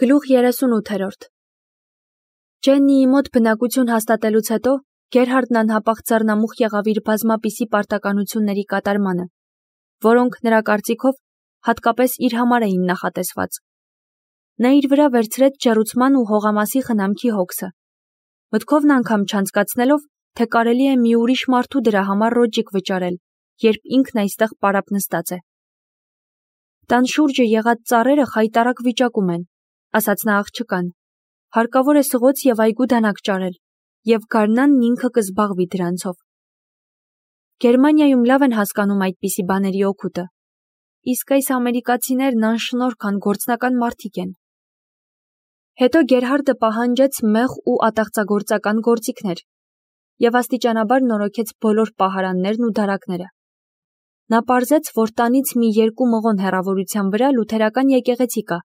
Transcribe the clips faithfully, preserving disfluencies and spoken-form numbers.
Գլուխ երեսունութերորդ Ջեննիի մոտ բնակություն հաստատելուց հետո Գերհարդն անհապաղ ձեռնամուխ եղավ իր բազմապիսի պարտականությունների կատարմանը, որոնք նրա կարծիքով հատկապես իր համար էին նախատեսված։ Նա իր վրա վերցրեց ջեռուցման ու հողամասի խնամքի հոգսը, մտքովն անգամ չանցկացնելով, թե կարելի է մի ուրիշ մարդու դրա համար ռոճիկ վճարել, երբ ինքն այստեղ պարապ նստած է։ Տան շուրջը եղած ծառերը խայտառակ վիճակում են, ասաց նա աղջկան, հարկավոր է սղոց և այգու դանակ ճարել, և գարնանն ինքը կզբաղվի դրանցով։ Գերմանիայում լավ են հասկանում այդպիսի բաների օգուտը, իսկ այս ամերիկացիներն անշնորհք անգործնական մարդիկ են։ Հետո Գերհարդը պահանջեց մեղ ու ատաղծագործական գործիքներ և աստիճանաբար նորոգեց բոլոր պահարաններն ու դարակները։ Նա պարզեց, որ տանից մի երկու մղոն հեռավորության վրա լութերական եկեղեցի կա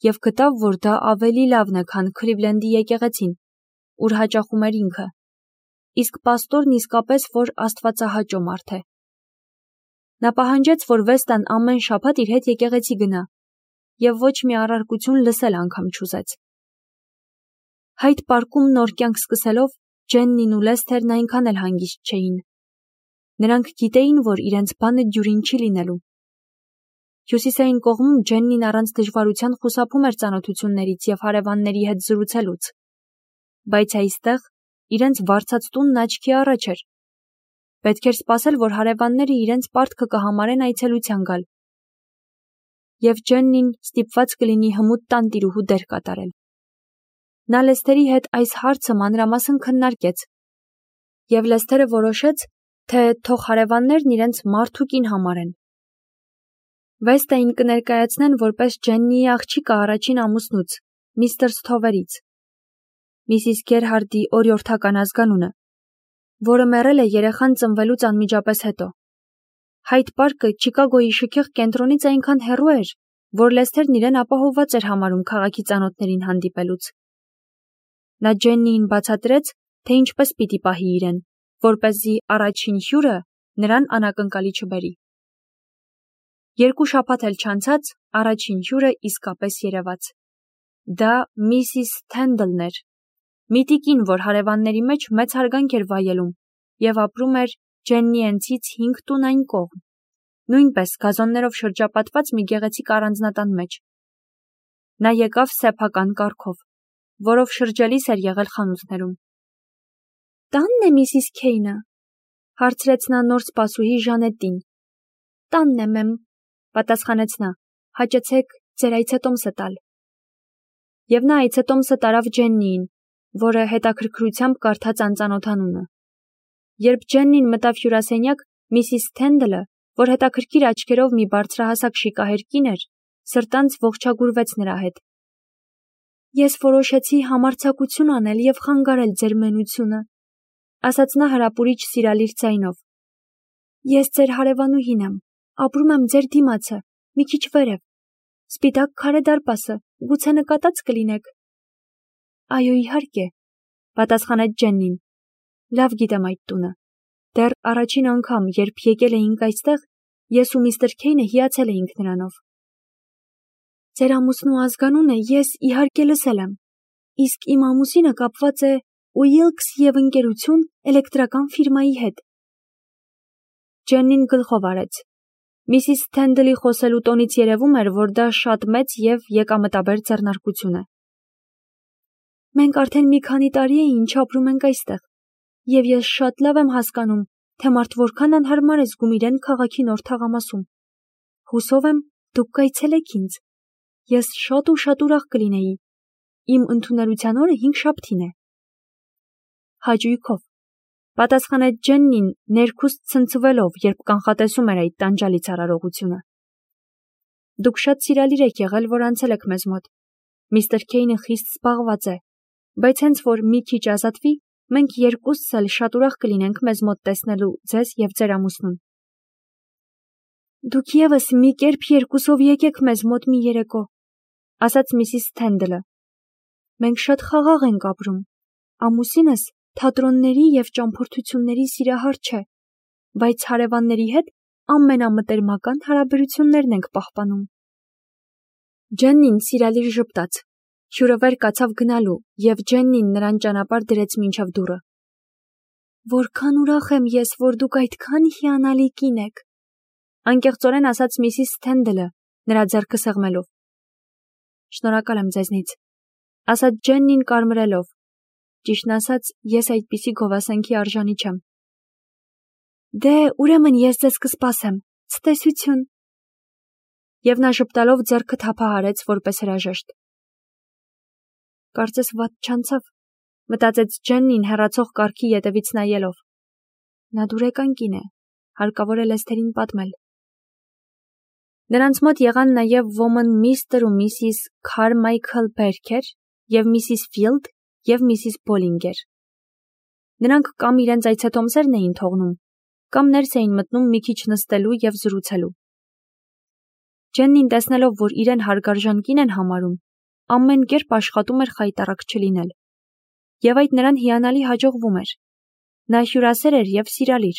և գտավ, որ դա ավելի լավն է, քան Քլիվլենդի եկեղեցին, ուր հաճախում էր ինքը, իսկ պաստորն իսկապես որ աստվածահաճո մարդ է։ Նա պահանջեց, որ Վեստան ամեն շաբաթ իր հետ եկեղեցի գնա և ոչ մի առարկություն լսել անգամ չուզեց։ Հայդ պարկում նոր կյանք սկսելով Ջեննին ու Լեսթերն այնքան էլ հանգիստ չէին։ Նրանք գիտեին, որ իրենց բանը դյուրին չի լինելու։ Հյուսիսային կողմում Ջեննին առանց դժվարության խուսափում էր ծանոթություններից և հարևանների հետ զրուցելուց, բայց այստեղ իրենց վարձած տունն աչքի առաջ էր։ Պետք էր սպասել, որ հարևանները իրենց պարտքը կհամարեն այցելության գալ, և Ջեննին ստիպված կլինի հմուտ տանտիրուհու դեր կատարել։ Նա Լեսթերի հետ այս հարցը մանրամասն քննարկեց, և Լեսթերը որոշեց, թե թող հարևաններն իրենց մարդ ու կին համարեն։ Վեստային կներկայացնեն որպես Ջեննիի աղջիկը առաջին ամուսնուց, միստր Սթովերից, Միսիս Գերհարդի օրիորդական ազգանունը, որը մեռել է երեխան ծնվելուց անմիջապես հետո։ Հայդ պարկը Չիկագոյի շքեղ կենտրոնից այնքան հեռու էր, որ Լեսթերն իրեն ապահովված էր համարում քաղաքի ծանոթներին հանդիպելուց։ Նա Ջեննիին բացատրեց, թե ինչպես պիտի պահի իրեն, որպեսզի առաջին հյուրը նրան անակնկալի չբերի։ Երկու շաբաթ էլ չանցած, առաջին հյուրը իսկապես երևաց։ Դա Միսիս Թենդլն էր, մի տիկին, որ հարևանների մեջ մեծ հարգանք էր վայելում և ապրում էր Ջեննիենցից հինգ տուն այն կողմ, նույնպես գազոններով շրջապատված մի գեղեցիկ առանձնատան մեջ։ Նա եկավ սեփական կառքով, որով շրջելիս էր եղել խանութներում։ «Տա՞նն է Միսիս Քեյնը», հարցրեց նա նոր սպասուհի Ժանետին։ «Տանն է, մեմ», պատասխանեց նա, «հաճեցեք ձեր այցետոմսը տալ»։ Եվ նա այցետոմսը տարավ Ջեննիին, որը հետաքրքրությամբ կարդաց անծանոթանունը։ Երբ Ջեննին մտավ հյուրասենյակ, Միսիս Թենդլը, որ հետաքրքիր աչքերով մի բարձրահասակ շիկահեր կին էր, սրտանց ողջագուրվեց նրա հետ։ «Ես որոշեցի համարձակություն անել և խանգարել ձեր մենությունը», ասաց նա հրապուրիչ սիրալիր ձայնով։ «Ես ձեր հարևանուհին եմ, ապրում եմ ձեր դիմացը, մի քիչ վերև, սպիտակ քարե դարպասը, գուցե նկատած կլինեք»։ «Այո, իհարկե», պատասխանեց Ջեննին։ «Լավ գիտեմ այդ տունը։ Դեռ առաջին անգամ, երբ եկել էինք այստեղ, ես ու միստր Քեյնը հիացել էինք նրանով»։ «Ձեր ամուսնու ազգանունը ես, իհարկե, լսել եմ, իսկ իմ ամուսինը կապված է Ուիլքս և ընկերություն էլեկտրական ֆիրմայի հետ»։ Ջեննին գլխով արեց։ Միսիս Թենդլի խոսելու տոնից երևում էր, որ դա շատ մեծ և եկամտաբեր ձեռնարկություն է։ «Մենք արդեն մի քանի տարի է ինչ ապրում ենք այստեղ, և ես շատ լավ եմ հասկանում, թե մարդ որքան անհարմար է զգում իրեն քաղաքի նոր թաղամասում։ Հուսով եմ, դուք կայցելեք ինձ։ Ես շատ ու շատ ուրախ կլինեի։ Իմ ընդունելության օրը հինգշաբթին է»։ «Հաճույքով», պատասխանեց Ջեննին, ներքուստ ցնցվելով, երբ կանխատեսում էր այդ տանջալից արարողությունը։ «Դուք շատ սիրալիր եք եղել, որ անցել եք մեզ մոտ։ Միստր Քեյնը խիստ զբաղված է, բայց հենց որ մի քիչ ազատվի, մենք երկուսս էլ շատ ուրախ կլինենք մեզ մոտ տեսնելու ձեզ և ձեր ամուսնուն»։ «Դուք ևս մի կերպ երկուսով եկեք մեզ մոտ մի երեկո», ասաց Միսիս Թենդլը։ «Մենք շատ խաղաղ ենք ապրում։ Ամուսինս թատրոնների և ճամփորդությունների սիրահար չէ, բայց հարևանների հետ ամենամտերմական հարաբերություններն ենք պահպանում»։ Ջեննին սիրալիր ժպտաց, Հյուրը վեր կացավ գնալու, և Ջեննին նրան ճանապարհ դրեց մինչև դուռը։ Որքան ուրախ եմ ես, որ դուք այդքան հիանալի կին եք, անկեղծորեն ասաց Միսիս Սթենդլը, նրա ձեռքը սեղմելով։ Շնորհակալ եմ ձեզնից, ասաց Ջեննին կարմրելով։ Ճիշտն ասած, ես այդպիսի գովասանքի արժանի չեմ։ Դե, ուրեմն ես ձեզ կսպասեմ, ցտեսություն։ Եվ նա ժպտալով ձեռքը թափահարեց որպես հրաժեշտ։ Կարծես վատ չանցավ, մտածեց Ջեննին հեռացող կառքի ետևից նայելով։ Նա դուրեկան կին է, հարկավոր է Լեսթերին պատմել։ Նրանց մոտ եղան նաև ոմն միստր ու միսիս Քարմայքլ Բերքեր և միսիս Ֆիլդ և միսիս Բոլինգեր։ Նրանք կամ իրենց այցեթոմսերն էին թողնում, կամ ներս էին մտնում մի քիչ նստելու և զրուցելու։ Ջեննին տեսնելով, որ իրեն հարգարժան կին են համարում, ամեն կերպ աշխատում էր խայտառակ չլինել։ Եվ այդ նրան հիանալի հաջողվում էր։ Նա հյուրասեր էր և սիրալիր։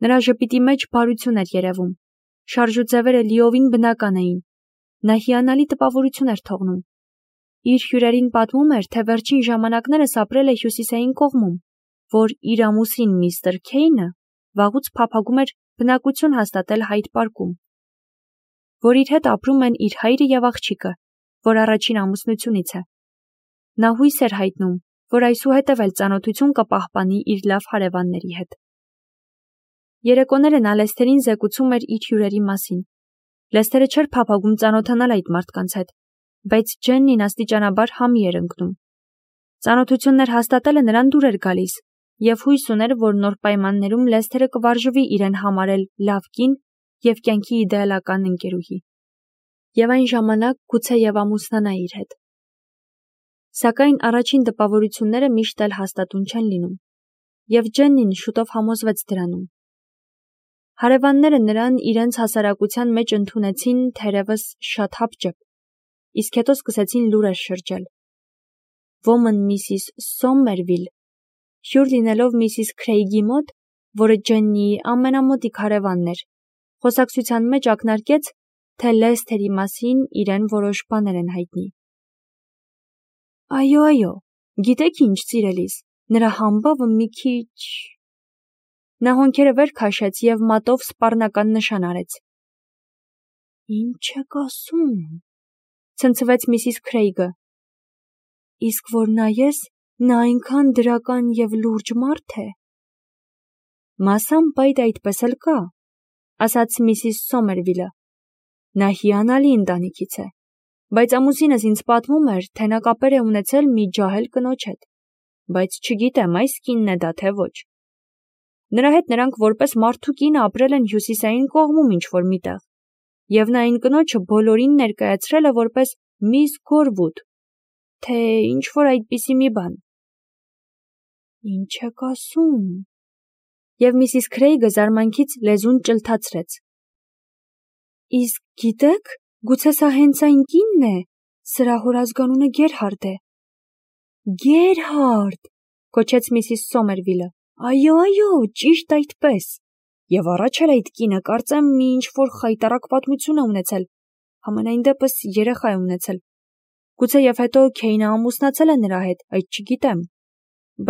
Նրա ժպիտի մեջ բարություն էր երևում։ Շարժուձևերը լիովին բնական էին։ Նա հիանալի տպավորություն էր թողնում։ Իր հյուրերին պատմում էր, թե վերջին ժամանակներս ապրել է հյուսիսային կողմում, որ իր ամուսին միստր Քեյնը վաղուց փափագում էր բնակություն հաստատել Հայդ պարկում, որ իր հետ ապրում են իր հայրը և աղջիկը, որ առաջին ամուսնությունից է։ Նա հույս էր հայտնում, որ այսուհետև էլ ծանոթություն կպահպանի իր լավ հարևանների հետ։ Երեկոները նա Լեսթերին զեկուցում էր իր հյուրերի մասին։ Լեսթերը չէր փափագում ծանոթանալ այդ մարդկանց հետ, բայց Ջեննին աստիճանաբար համի էր ընկնում։ Ծանոթություններ հաստատելը նրան դուր էր գալիս, և հույս ուներ, որ նոր պայմաններում Լեսթերը կվարժվի իրեն համարել լավ կին և կյանքի իդեալական ընկերուհի։ Եվ այն ժամանակ գուցեև ամուսնանա իր հետ։ Սակայն առաջին տպավորությունները միշտ էլ հաստատուն չեն լինում, և Ջեննին շուտով համոզվեց դրանում։ Հարևանները նրան իրենց հասարակության մեջ ընդունեցին թերևս շատ հապճեպ, իսկ հետո սկսեցին լուրեր շրջել։ Ոմն միսիս Սոմերվիլ, հյուր լինելով միսիս Քրեյգի մոտ, որը Ջեննիի ամենամոտիկ հարևանն էր, խոսակցության մեջ ակնարկեց, թե Լեսթերի մասին իրեն որոշ բաներ են հայտնի։ Այո, այո, գիտեք ինչ, սիրելիս, նրա համբավը մի քիչ… Նա հոնքերը վեր քաշեց և մատով սպառնական նշան արեց։ Ինչ եք ասում, ցնցվեց միսիս Քրեյգը։ Իսկ որ նայես, նա այնքան դրական և լուրջ մարդ է։ Մասամբ այդ այդպես էլ կա, ասաց միսիս Սոմերվիլը։ Նա հիանալի ընտանիքից է, բայց ամուսինս ինձ պատմում էր, թե նա կապեր է ունեցել մի ջահել կնոջ հետ, բայց չգիտեմ այս կինն է դա թե ոչ։ Նրա հետ նրանք որպես մարդ ու կին ապրել են հյուսիսային կողմում ինչ-որ միտեղ, և նա այն կնոջը բոլորին ներկայացրել է որպես միս Գորվուդ, թե ինչ-որ այդպիսի մի բան։ Ինչ եք ասում։ Եվ միսիս Քրեյգը զարմանքից լեզուն ճլթացրեց։ Իսկ գիտեք, գուցե սա հենց այն կինն է, սրա հորազգանունը Գերհարդ է։ Գերհարդ, կոչեց միսիս Սոմերվիլը։ Այո, այո, ճիշտ այդպես։ Եվ առաջ էլ այդ կինը կարծեմ մի ինչ-որ խայտառակ պատմություն է ունեցել, համենայն դեպս երեխա է ունեցել։ Գուցեև հետո Քեյնը ամուսնացել է նրա հետ, այդ չգիտեմ,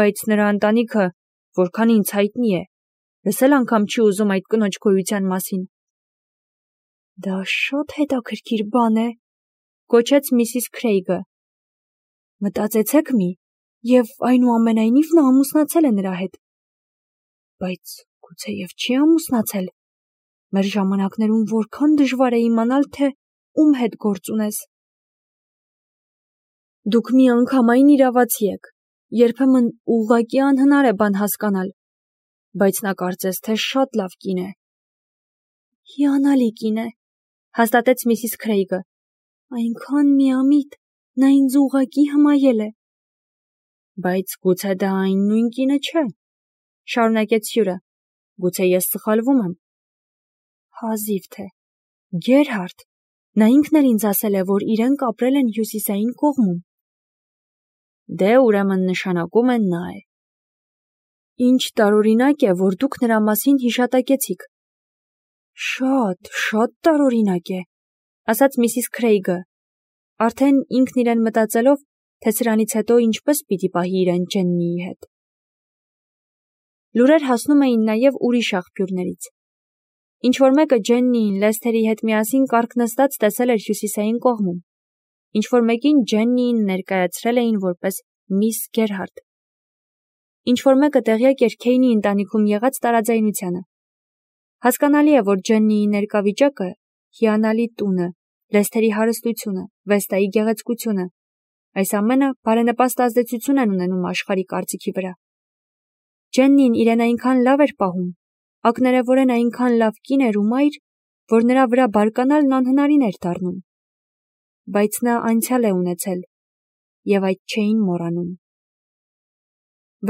բայց նրա ընտանիքը, որքան ինձ հայտնի է, լսել անգամ չի ուզում այդ կնոջ գոյության մասին։ Դա շատ հետաքրքիր բան է, կոչեց միսիս Քրեյգը։ Մտածեցեք մի, և այնուամենայնիվ նա ամուսնացել է նրա հետ։ Բայց գուցեև չի ամուսնացել։ Մեր ժամանակներում որքան դժվար է իմանալ, թե ում հետ գործ ունես։ Դուք միանգամայն իրավացի եք, երբեմն ուղղակի անհնար է բան հասկանալ, բայց նա կարծես թե շատ լավ կին է։ Հիանալի կին է, հաստատեց միսիս Քրեյգը։ Այնքան միամիտ, նա ինձ ուղղակի հմայել է։ Բայց գուցե դա այն նույն կինը չէ, շարունակեց հյուրը, գուցե ես սխալվում եմ։ Հազիվ թե, Գերհարդ, նա ինքն էլ ինձ ասել է, որ իրենք ապրել են հյուսիսային կողմում։ Դե ուրեմն նշանակում են նա է։ Ինչ տարօրինակ է, որ դուք նրա մասին հիշատակեցիք։ Շատ, շատ տարօրինակ է, ասաց միսիս Քրեյգը, արդեն ինքն իրեն մտածելով, թե սրանից հետո ինչպես պիտի պահի իրեն Ջեննիի հետ։ Լուրեր հասնում էին նաև ուրիշ աղբյուրներից։ Ինչ-որ մեկը Ջեննիին Լեսթերի հետ միասին կառք նստած տեսել էր հյուսիսային կողմում, ինչ-որ մեկին Ջեննիին ներկայացրել էին որպես միս Գերհարդ։ Ինչ-որ մեկը տեղյակ էր Քեյնի ընտանիքում եղած տարաձայնությանը։ Հասկանալի է, որ Ջեննիի ներկա վիճակը, հիանալի տունը, Լեսթերի հարստությունը, Վեստայի գեղեցկությունը, այս ամենը բարենպաստ ազդեցություն են ունենում աշխարհի կարծիքի վրա։ Ջեննին իրեն այնքան լավ էր պահում, ակներևորեն այնքան լավ կին էր ու մայր, որ նրա վրա բարկանալն անհնարին էր դառնում։ Բայց նա անցյալ է ունեցել, եւ այդ չէին մոռանում։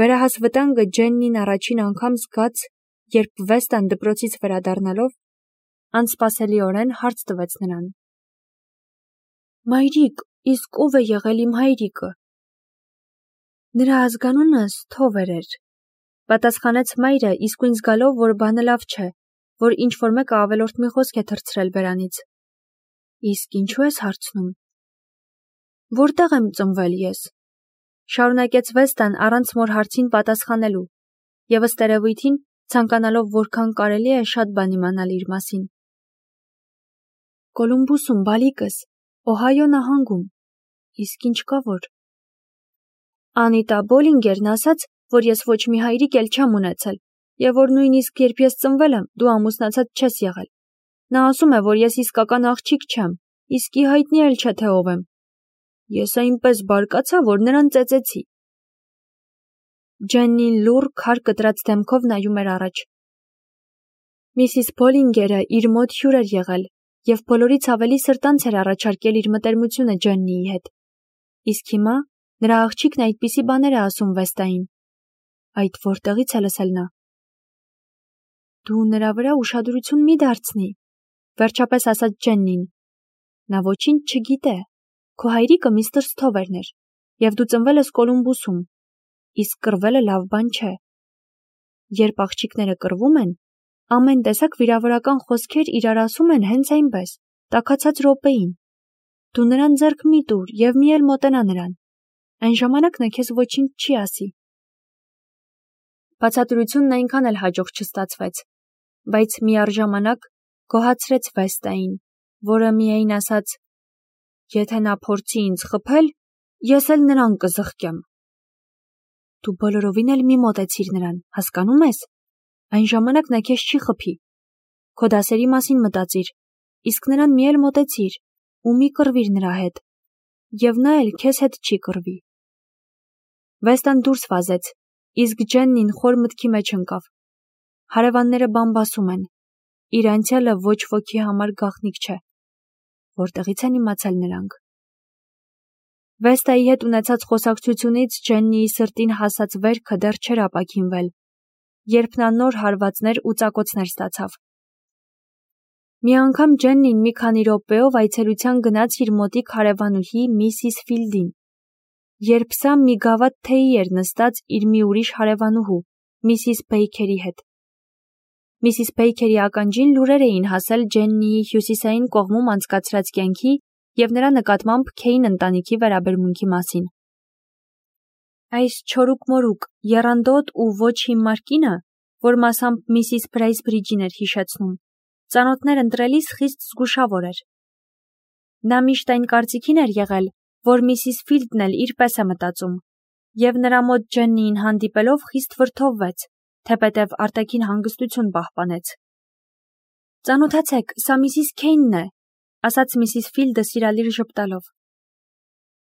Վերահաս վտանգը Ջեննին առաջին անգամ զգաց, երբ Վեստան դպրոցից վերադառնալով անսպասելիորեն հարց տվեց նրան. «Մայրիկ, իսկ ով է եղել իմ հայրիկը»։ Նրա ազգանունը Սթովեր էր, պատասխանեց մայրը, իսկույն զգալով, որ բանը լավ չէ, որ ինչ-որ մեկը ավելորդ մի խոսք է թռցրել բերանից։ Իսկ ինչու ես հարցնում։ Որտեղ եմ ծնվել ես։ Շարունակեց Վեստան առանց մոր հարցին պատասխանելու, եւ ըստ երևույթին ցանկանալով որքան կարելի է շատ բան իմանալ իր մասին։ Կոլումբուսում, բալիկս, Օհայո նահանգում։ Իսկ ինչ կա որ։ Անիտա Բոլինգերն ասաց, որ ես ոչ մի հայրիկ էլ չեմ ունեցել, եւ որ նույնիսկ երբ ես ծնվել եմ, դու ամուսնացած չես եղել։ Նա ասում է, որ ես իսկական աղջիկ չեմ, իսկի հայտնի էլ չէ թե ով եմ։ Ես այնպես բարկացա, որ նրան ծեծեցի։ Ջեննին լուռ քար կտրած դեմքով նայում էր առաջ։ Միսիս Բոլինգերը իր մոտ հյուր էր եղել եւ բոլորից ավելի սրտանց էր առաջարկել իր մտերմությունը Ջեննիի հետ։ Իսկ հիմա նրա աղջիկն այդպիսի բաներ է ասում Վեստային։ Այդ որտեղից է լսել նա։ Դու նրա վրա ուշադրություն մի դարձնի, վերջապես ասաց Ջեննին։ Նա ոչինչ չգիտե։ Քո հայրիկը միստր Սթովերն էր, եւ դու ծնվել ես Կոլումբուսում, իսկ կռվելը լավ բան չէ։ Երբ աղջիկները կռվում են, ամեն տեսակ վիրավորական խոսքեր իրար ասում են հենց այնպես, տաքացած րոպեին։ Դու նրան ձեռք մի տուր եւ մի էլ մոտենա նրան։ Այն ժամանակ նա քեզ ոչինչ չի ասի։ Բացատրությունն այնքան էլ հաջող չստացվեց, բայց միառժամանակ գոհացրեց Վեստային, որը միայն ասաց. Եթե նա փորձի ինձ խփել, ես էլ նրան կզղկեմ։ Դու բոլորովին էլ մի մոտեցիր նրան, հասկանում ես։ Այն ժամանակ նա քեզ չի խփի։ Քո դասերի մասին մտածիր, իսկ նրան մի էլ մոտեցիր ու մի կռվիր նրա հետ, եւ նա էլ քեզ հետ չի կռվի։ Վեստան դուրս վազեց, իսկ Ջեննին խոր մտքի մեջ ընկավ։ Հարևանները բամբասում են։ Իր անցյալը ոչ ոքի համար գաղտնիք չէ։ Որտեղից են իմացել նրանք։ Վեստայի հետ ունեցած խոսակցությունից Ջեննիի սրտին հասած վերքը դեռ չէր ապաքինվել, երբ նա նոր հարվածներ ու ծակոցներ ստացավ։ Մի անգամ Ջեննին մի քանի րոպեով այցելության գնաց իր մոտիկ հարևանուհի Միսիս Ֆիլդին, երբ սա մի գավաթ թեյի էր նստած իր մի ուրիշ հարևանուհու, Միսիս Բեյքերի հետ։ Միսիս Բեյքերի ականջին լուրեր էին հասել Ջեննիի հյուսիսային կողմում անցկացրած կյանքի եւ նրա նկատմամբ Քեյն ընտանիքի վերաբերմունքի մասին։ Այս չորուկ-մորուկ, եռանդոտ ու ոչ հիմար կինը, որ մասամբ Միսիս Բրեյսբրիջին էր հիշեցնում, ծանոթներ ընտրելիս խիստ զգուշավոր էր։ Նա միշտ այն կարծիքին էր եղել, որ Միսիս Ֆիլդն էլ իր պես է մտածում, եւ նրա մոտ Ջեննիին հանդիպելով խիստ վրդովվեց, թեպետև արտաքին հանգստություն պահպանեց։ Ծանոթացեք, սա Միսիս Քեյնն է, ասաց Միսիս Ֆիլդը սիրալիր ժպտալով։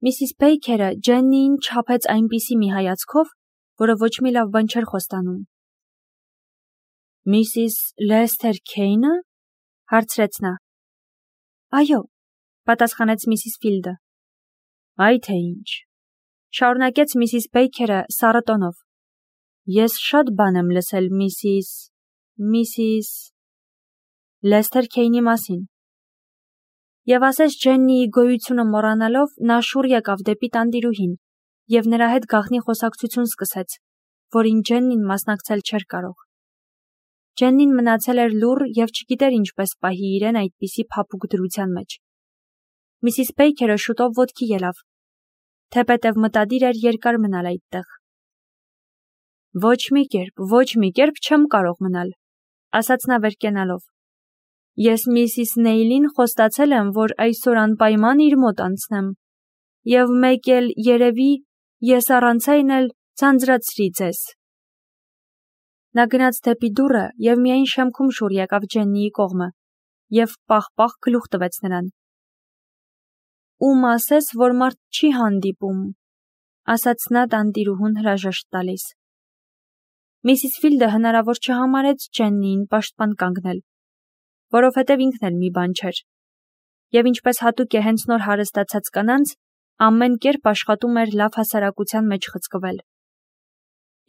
Միսիս Բեյքերը Ջեննիին չափեց այնպիսի մի հայացքով, որը ոչ մի լավ բան չէր խոստանում։ Միսիս Լեսթեր Քեյնը, հարցրեց նա։ Այո, պատասխանեց Միսիս Ֆիլդը։ Այ թե ինչ, շարունակեց Միսիս Բեյքերը սառը տոնով։ Ես շատ բան եմ լսել Միսիս, Միսիս Լեսթեր Քեյնի մասին։ Եվ ասես Ջեննիի գոյությունը մոռանալով, նա շուռ եկավ դեպի տանտիրուհին եւ նրա հետ գաղտնի խոսակցություն սկսեց, որին Ջեննին մասնակցել չէր կարող։ Ջեննին մնացել էր լուռ եւ չգիտեր ինչպես պահի իրեն այդպիսի փափուկ դրության մեջ։ Միսիս Բեյքերը շուտով ոտքի ելավ։ թեպետև մտադիր էր երկար մնալ այդտեղ։ Ոչ մի կերպ, ոչ մի կերպ չեմ կարող մնալ, ասաց նա վեր կենալով։ Ես միսիս Նեյլին խոստացել եմ, որ այսօր անպայման իր մոտ անցնեմ, և մեկ էլ երևի ես առանց այն էլ ձանձրացրի ձեզ։ Նա գնաց դեպի դուռը և միայն շեմքում շուռ եկավ Ջեննիի կողմը և պաղ-պաղ գլուխ տվեց նրան։ Ում ասես, որ մարդ չի հանդիպում, ասաց նա տանտիրուհուն հրաժեշտ տալիս։ Միսիս Ֆիլդը հնարավոր չհամարեց Ջեննիին պաշտպան կանգնել, որովհետև ինքն էլ մի բան չէր, և ինչպես հատուկ է հենց նոր հարստացած կանանց, ամեն կերպ աշխատում էր լավ հասարակության մեջ խցկվել։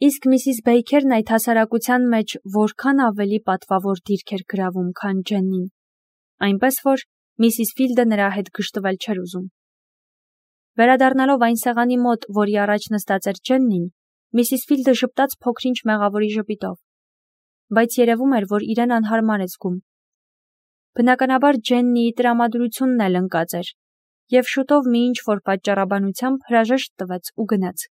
Իսկ միսիս Բեյքերն այդ հասարակության մեջ որքան ավելի պատվավոր դիրք էր գրավում, քան Ջեննին, այնպես որ միսիս Ֆիլդը նրա հետ գժտվել չէր ուզում։ Վերադառնալով այն սեղանի մոտ, որի առաջ նստած էր Ջեննին, միսիս Ֆիլդը ժպտաց փոքր-ինչ մեղավորի ժպիտով, բայց երևում էր, որ իրեն անհարմար է զգում։ Բնականաբար Ջեննիի տրամադրությունն էլ ընկած էր, և շուտով մի ինչ-որ պատճառաբանությամբ հրաժեշտ տվեց ու գնաց։